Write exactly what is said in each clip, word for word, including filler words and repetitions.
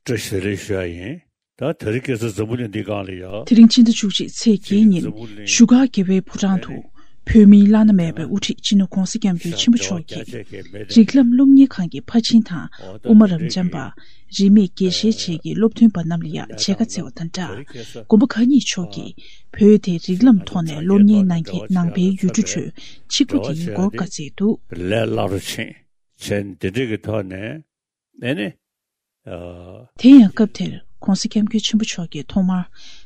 བཀྲ་ཤིས་བདེ་ལེགས་ཞུ་ཡ་ཡིན། ད་དེ་རིང་ཁ་སང་འཛམ་བུ་གླིང་འདིའི་སྒང་ལ་ཡ། དེ་རིང་སྤྱི་ཟླ་བཅུ་གཅིག་ཚེས་བརྒྱད་ཉིན་བཞུགས་སྒར་རྒྱལ་བའི་ཕོ་བྲང་དུ་བོད་མིའི་བླ་ན་མེད་པའི་དབུ་ཁྲིད་སྤྱི་ནོར་༧གོང་ས་༧སྐྱབས་མགོན་ཆེན་པོ་མཆོག་གིས་རིགས་ལམ་སློབ་གཉེར་ཁང་གི་ཕར་ཕྱིན་དང་། དབུ་མ་རབ་འབྱམས་པ་རིས་མེད་དགེ་བཤེས་བཅས་ཀྱི་སློབ་ཐོན་པ་རྣམས་ལ་ཡ་མཇལ་ཁ་བསྩལ་བ་དང་སྦྲགས། དགོན་པ་ཁག་གཉིས་ཕྱོགས་ཀྱིས་བོད་དེ་རིགས་ལམ་ཐོག་ནས་སློབ་གཉེར་གནང་མཁན་ནང་པའི་ཡུལ་གྲུ་ཁྲོད་གཅིག་པུ་དེ་ཡིན་སྐོར་བཀའ་སྩལ་འདུག། ལས་སླ་རུ་ཕྱིན་བྱས་ནས་དེ་འདྲས་ཀྱི་ཐོག་ནས། ཨེ་ནི། ཨ། དེ་ཡང་སྐབས་དེར་༧གོང་ས་༧སྐྱབས་མགོན་ཆེན་པོ་མཆོག་གིས་ཐོག་མར་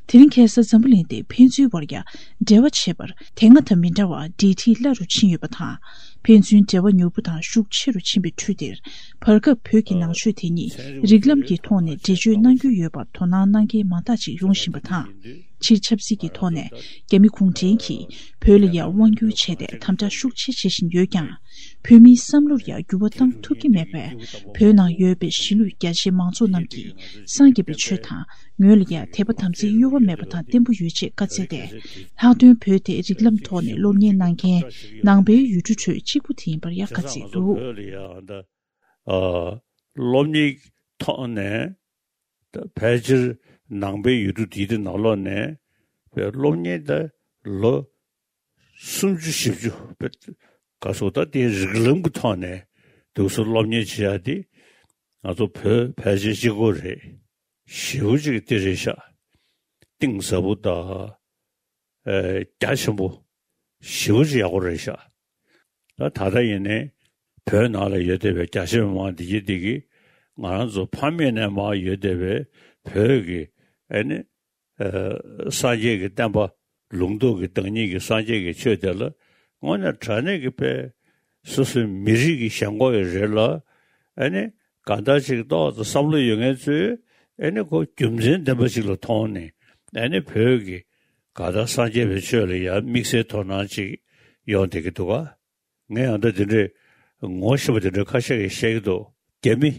དེ་རིང་ཁ་སང་འཛམ་བུ་གླིང་འདིར་ཕན་ཚུན་བར་ཡ་འབྲེལ་བ་བྱེད་པར་དེ་སྔ་དང་མི་འདྲ་བར་འབྲེལ་མཐུད་སླ་རུ་ཕྱིན་ཡོད་པ་དང་། ཕན་ཚུན་འབྲེལ་བ་མྱུར་པོ་དང་ཤུགས་ཆེ་རུ་ཕྱིན་པའི་ཁྲོད་དེར། བར་སྐབས་བོད་ཀྱི་ནང་ཆོས་དེ་ཉིད་རིགས་ལམ་གྱི་ཐོག་ནས་འགྲེལ་བརྗོད་གནང་རྒྱུ་ཡོད་པར་དོ་སྣང་གནང་མཁན་མང་དག་ཅིག་ཡོང་བཞིན་པ་དང་། སྤྱིར་ཆབ་སྲིད་ཀྱི་ཐོག་ནས་རྒྱ་མི་གུང་ཁྲན་གྱིས་བོད་ལ་ཡ་དབང་བསྒྱུར་བྱས་ཏེ་དམ་དྲག་ཤུགས་ཆེ་བྱེད་བཞིན་ཡོད་ཀྱང་། བོད་མིའི་བསམ་བློར་ཡང་འགྱུར་བ་བཏང་ཐུབ་ཀྱི་མེད་པས། བོད་ནང་ཡོད་པའི་གཞིས་ལུས་རྒྱ་ཆེའི་མང་ཚོགས་རྣམས་ཀྱིས་སངས་རྒྱས་པའི་ཆོས་དང་ངོས་ལ་ཡང་དད་པ་དམ་ཚིག་གཡོ་བ་མེད་པ་དང་བརྟན་པོ་ཡོད་ཅེས་བཀའ་སྩལ་ཏེ། ལྷག་དོན་བོད་དེ་རིགས་ལམ་ཐོག་ནས་སློབ་གཉེར་གནང་མཁན་ནང་པའི་ཡུལ་གྲུ་ཁྲོད་གཅིག་པུ་དེ་ཡིན་པར་ཡང་བཀའ་སྩལ་འདུག། ཨ། སློབ་གཉེར་ཐོག་ནས་ད་ཕལ་ཆེར་ནང་པའི་ཡུལ་གྲུ་དེའི་ནང་ལོགས་ནས་བོད་སློབ་གཉེར་ད་ལོ་སུམ་ཅུ་བཞི་བཅུ་བོད་ག་སོགས་ད་དེའི་རིགས་ལམ་གྱི་ཐོག་ནས་དུས་སུ་སློབ་གཉེར་བྱེད་ཡ་དེ་ང་ཚོ་བོད་ཕལ་ཆེར་གཅིག་པོ་རེད། ཞེ་པོ་ཅིག་དེ་རེད་ཤག། གཏིང་ཟབ་པོ་དང་། ཨེ། རྒྱ་ཆེན་པོ་ཞེ་པོ་ཅིག་ཡག་པོ་རེད་ཤག། ད་ད་ལྟ་ཡིན་ནའི་བོད་ནང་ལ་ཡོད་བསྡད་པའི་རྒྱ་ཆེ་མི་མང་འདི་གི་འདི་གི་ང་རང་ཚོ་ཕ་མེས་ནས་མར་ཡོད་བསྡད་པའི་བོད་ཀྱི་ཨེ་ནི། ཨ། སངས་རྒྱས་ཀྱི་བསྟན་པ་ལུང་རྟོགས་ཀྱི་བདག་ཉིད་ཀྱི་སངས་རྒྱས་ཀྱི་ཆོས་དེ་ལ་དངོས་གནས་དྲང་གནས་ཀྱི་དཔེ་སོ་སོའི་མི་རིགས་ཀྱི་ཞེན་ཁོག་ཡི་རེད་ལ། ཨ་ནི་གང་ལྟར་ཅིག་ཏོག་ཙམ་བསམ་བློ་ཡོད་མཁན་ཚོས་ཨ་ནི་ཁོ་རྒྱུ་མཚན་ལྡན་པ་ཅིག་ལ་མཐོང་ནས་ཨ་ནི་བོད་ཀྱི་གང་ལྟར་སངས་རྒྱས་པའི་ཆོས་ལ་ཡང་དམིགས་བསལ་དོ་སྣང་ཅིག་ཡོང་བསྡད་ཀྱི་འདུག་ག། ངས་ཡང་ད་དེ་འདྲའི་ངོ་ཤེས་པ་དེ་འདྲའི་ཁ་ཤས་ཀྱིས་བཤད་ཀྱི་འདུག། རྒྱ་མི་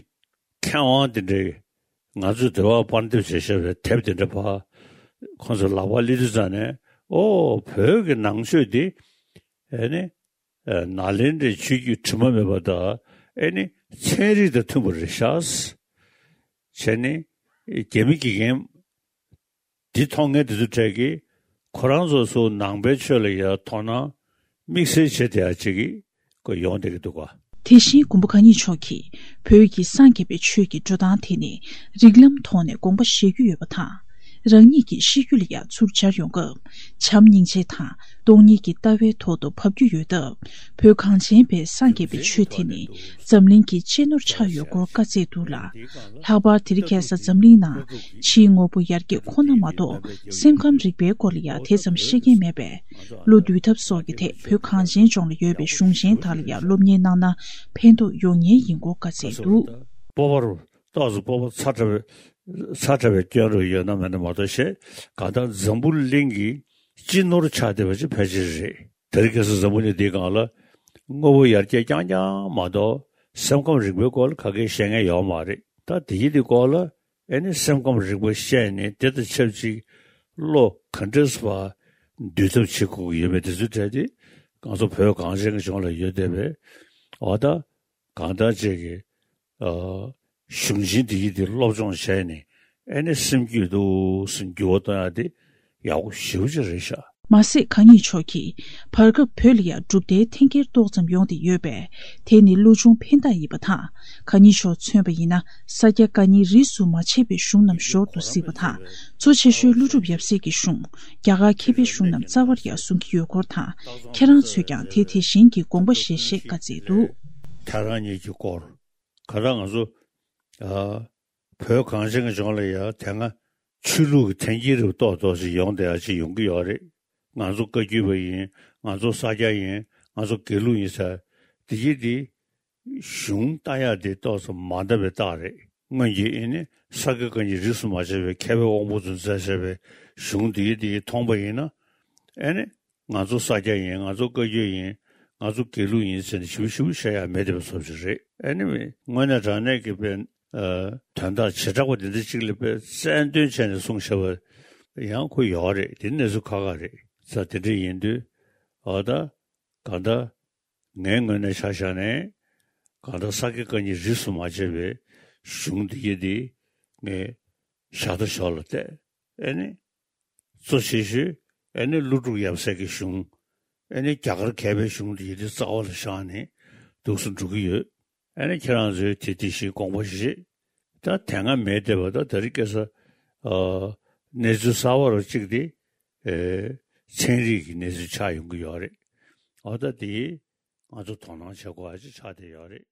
མཁས་དབང་དེ་འདྲའི་ང་ཚོས་འབྲེལ་བ་པར་འདེབས་བྱས་བཞག་པའི་དེབ་དེ་འདྲ་ཕར་ཁོང་ཚོའི་ལག་པར་སླེབས་དུས་ཙང་ནས་ཨོ་བོད་ཀྱི་ནང་ཆོས་འདི་ཨེ་ནི་ཨེ་ནཱ་ལེནྡྲའི་ཆོས་བརྒྱུད་དྲི་མ་མེད་པ་དང་ཨེ་ནི་ཚན་རིག་དང་མཐུན་པ་རེད་ཤག་བྱས་ནས་རྒྱ་མི་དགེ་རྒན་འདི་མཐོང་མཁན་དེ་ཚོ་གྲས་ཀྱིས་ཁོ་རང་ཚོ་ཚོ་ནང་པའི་ཆོས་ལ་ཡ་དོ་སྣང་དམིགས་བསལ་བྱེད་བསྡད་ཡ་ཅིག་གི་ཁོ་ཡོང་བསྡད་ཀྱི་འདུག་ག། དེ་བཞིན་མགོན་པོ་གང་ཉིད་མཆོག་གིས་བོད་ཀྱི་སངས་རྒྱས་པའི་ཆོས་ཀྱི་འགྲོ་སྟངས་དེ་ནི་རིགས་ལམ་ཐོག་ནས་དགོངས་པ་བཞེས་རྒྱུ་ཡོད་པ་དང་། རང་ཉིད་ཀྱི་ཤེས་རྒྱུད་ལ་ཡང་ཚུར་སྦྱར་ཡོང་སྐབས་བྱམས་སྙིང་རྗེ་དང་སྟོང་ཉིད་ཀྱི་ལྟ་བའི་ཐོག་ཏུ་བབས་རྒྱུ་ཡོད་སྟབས། བོད་གངས་ཅན་པའི་སངས་རྒྱས་པའི་ཆོས་དེ་ནི་འཛམ་གླིང་གི་གཅེས་ནོར་ཆགས་ཡོད་སྐོར་བཀའ་སྩལ་འདུག་ལ། ལྷག་པར་དེ་རིང་ཁ་སང་འཛམ་གླིང་ནང་ཕྱིའི་དངོས་པོ་ཡར་རྒྱས་ཁོ་ན་མ་གཏོགས་སེམས་ཁམས་རིག་པའི་སྐོར་ལ་ཡང་དེ་ཙམ་ཤེས་མཁན་མེད་པས། བློ་འདུལ་ཐབས་སོགས་ཀྱི་ཐད་བོད་གངས་ཅན་ལྗོངས་ལ་ཡོད་པའི་གཞུང་ཆེན་དག་ལ་ཡང་སློབ་གཉེར་གནང་ན་ཕན་ཐོགས་ཡོང་ངེས་ཡིན་སྐོར་བཀའ་སྩལ་འདུག། སྤོབས་པ་རུ་ཏོག་ཙམ་སྤོབས་པ་ཚ་དྲགས་པའི་ཚ་དྲགས་པའི་སྐྱོན་རུ་ཡོད་ན་མེད་ན་མ་གཏོགས་བཤད་གང་ལྟར་འཛམ་བུ་གླིང་གི་སྤྱི་ནོར་ཆགས་བསྡད་པ་ཅིག་ཕལ་ཆེར་རེད། དེ་རིང་ཁ་སང་འཛམ་བུ་གླིང་འདིའི་སྒང་ལ་དངོས་པོ་ཡར་རྒྱས་རྐྱང་རྐྱང་མ་གཏོགས་སེམས་ཁམས་རིག་པའི་སྐོར་ལ་ག་གེ་བཤད་མཁན་ཡོད་མ་རེད། ད་དེ་ཡི་དེ་སྐོར་ལ་ཨེ་ནི་སེམས་ཁམས་རིག་པ་བཤད་ནས་དེ་དང་ཆབས་ཅིག་བློ་ག་འདྲས་བ་འདུལ་ཐབས་བྱེད་དགོས་ཀྱི་ཡོད་པའི་དེ་ཚོའི་གྲས་དེ་ང་ཚོ་བོད་གངས་ཅན་གྱི་ལྗོངས་ལ་ཡོད་བསྡད་པའི་འོ་ད་གང་ལྟར་ཅིག་གི་ཨ། གཞུང་ཆེན་འདི་ཡི་འདི་སློབ་སྦྱོང་བྱས་ནས་ཨེ་ནི་སེམས་རྒྱུད་དུ་སེམས་འགྱུར་བ་གཏོང་ཡ་དེ་ཡག་པོ་ཞེ་པོ་ཅིག་རེད་ཤག། མ་ཟད་གང་ཉིད་མཆོག་གིས་བར་སྐབས་བོད་ལ་ཡང་གྲུབ་མཐའི་འཐེན་འཁྱེར་ཏོག་ཙམ་ཡོང་བསྡད་ཡོད་པས། དེ་ནི་བློ་ཆུང་ཕན་བཏགས་ཡིན་པ་དང་། གང་ཉིད་མཆོག་མཚོན་པ་ཡིན་ན་ས་སྐྱ་བཀའ་རྙིང་རིས་སུ་མ་ཆད་པའི་གཞུང་རྣམས་ཞོར་དུ་གཟིགས་པ་དང་། གཙོ་ཆེ་ཤོས་ཀླུ་སྒྲུབ་ཡབ་སྲས་ཀྱི་གཞུང་། རྒྱ་གར་མཁས་པའི་གཞུང་རྣམས་རྩ་བར་ཡང་བཟུང་གི་ཡོད་སྐོར་དང་། ཁྱེད་རང་ཚོས་ཀྱང་དེ་དེ་བཞིན་གྱི་དགོངས་པ་བཞེས་ཞེས་བཀའ་སྩལ་འདུག། ཐལ་རང་ཉིད་ཀྱི་སྐོར། ག་ད་ང་ཚོ་ཨ། བོད་གངས་ཅན་གྱི་ལྗོངས་ལ་ཡང་དེ་སྔ་ཆོས་ལུགས་ཀྱི་འཐེན་འཁྱེར་རིགས་ཏོག་ཏོག་ཅིག་ཡོང་བསྡད་ཡ་ཅིག་ཡོང་གི་ཡོད་རེད། ང་ཚོ་བཀའ་བརྒྱུད་པ་ཡིན། ང་ཚོ་ས་སྐྱ་ཡིན། ང་ཚོ་དགེ་ལུགས་ཡིན་ཟེར། དེ་གྱིས་དེ་གཞུང་ལྟ་ཡག་དེ་ཏོག་ཙམ་མ་འདྲ་བའི་རྟགས་རེད། སྔོན་གྱི་ཨེ་ནི་ས་སྐྱ་བཀའ་རྙིང་རིས་སུ་མ་ཆད་པའི་མཁས་པའི་དབང་པོ་ཚོས་མཛད་བཞག་པའི་གཞུང་དེ་གྱིས་དེ་མཐོང་པ་ཡིན་ན། ཨེ་ནི་ང་ཚོ་ས་སྐྱ་ཡིན། ང་ཚོ་བཀའ་བརྒྱུད་ཡིན། ང་ཚོ་དགེ་ལུགས་ཡིན་ཟེར་ནས་ཞིབ་ཞིབ་བཤད་ཡ་མེད་བསྡད་པ་བཟོ་ཅིག་རེད། ཨེ་ནི་དངོས་གནས་དྲང་གནས་ཀྱི་དཔེ་ཨ། དོན་དག་བྱེ་བྲག་པ་འདི་འདྲ་ཅིག་ལ་དཔེ་རྩལ་འདོན་བྱས་ནས་གསུངས་བཞག་པ་ཡང་ཁོ་ཡོད་རེད། དེ་གནས་ཚུལ་ཁག་ཁག་རེད། ས་དེ་འདྲ་ཡིན་དུས་ཨ་ད་གང་ལྟར་ངའི་ངོས་ནས་ཆ་བཞག་ནས་གང་ལྟར་ས་སྐྱ་བཀའ་རྙིང་རིས་སུ་མ་ཆད་པའི་གཞུང་འདི་གྱིས་དེ་ ངས་ཞག་ད་ཞོར་ལ་བལྟས། ཨེ་ནི། གཙོ་ཆེ་ཤོས་ཨེ་ནི་ཀླུ་སྒྲུབ་ཡབ་སྲས་ཀྱི་གཞུང་། ཨེ་ནི་རྒྱ་གར་མཁས་པའི་གཞུང་དེ་ཡི་དེ་རྩ་བ་ལ་བཞག་ནས་འདུག་སེ་འགྲོ་གི་ཡོད། ཨེ་ནི་ཁྱེད་རང་ཚོས་དེ་དེ་བཞིན་དགོངས་པ་བཞེས། ད་དེ་སྔ་མེད་བསྡད་པ་ད་ད་རེས་ཁ་སང་ཨ་གནས་ཚུལ་གསར་པ་རུ་གཅིག་དེ་ཨེ་ཚན་རིག་གི་གནས་ཚུལ་ཆགས་ཡོང་གི་ཡོད་རེད། འོ་ད་དེ་ང་ཚོ་དོ་སྣང་བྱེད་དགོས་པ་ཅིག་ཆགས་བསྡད་ཡོད་རེད།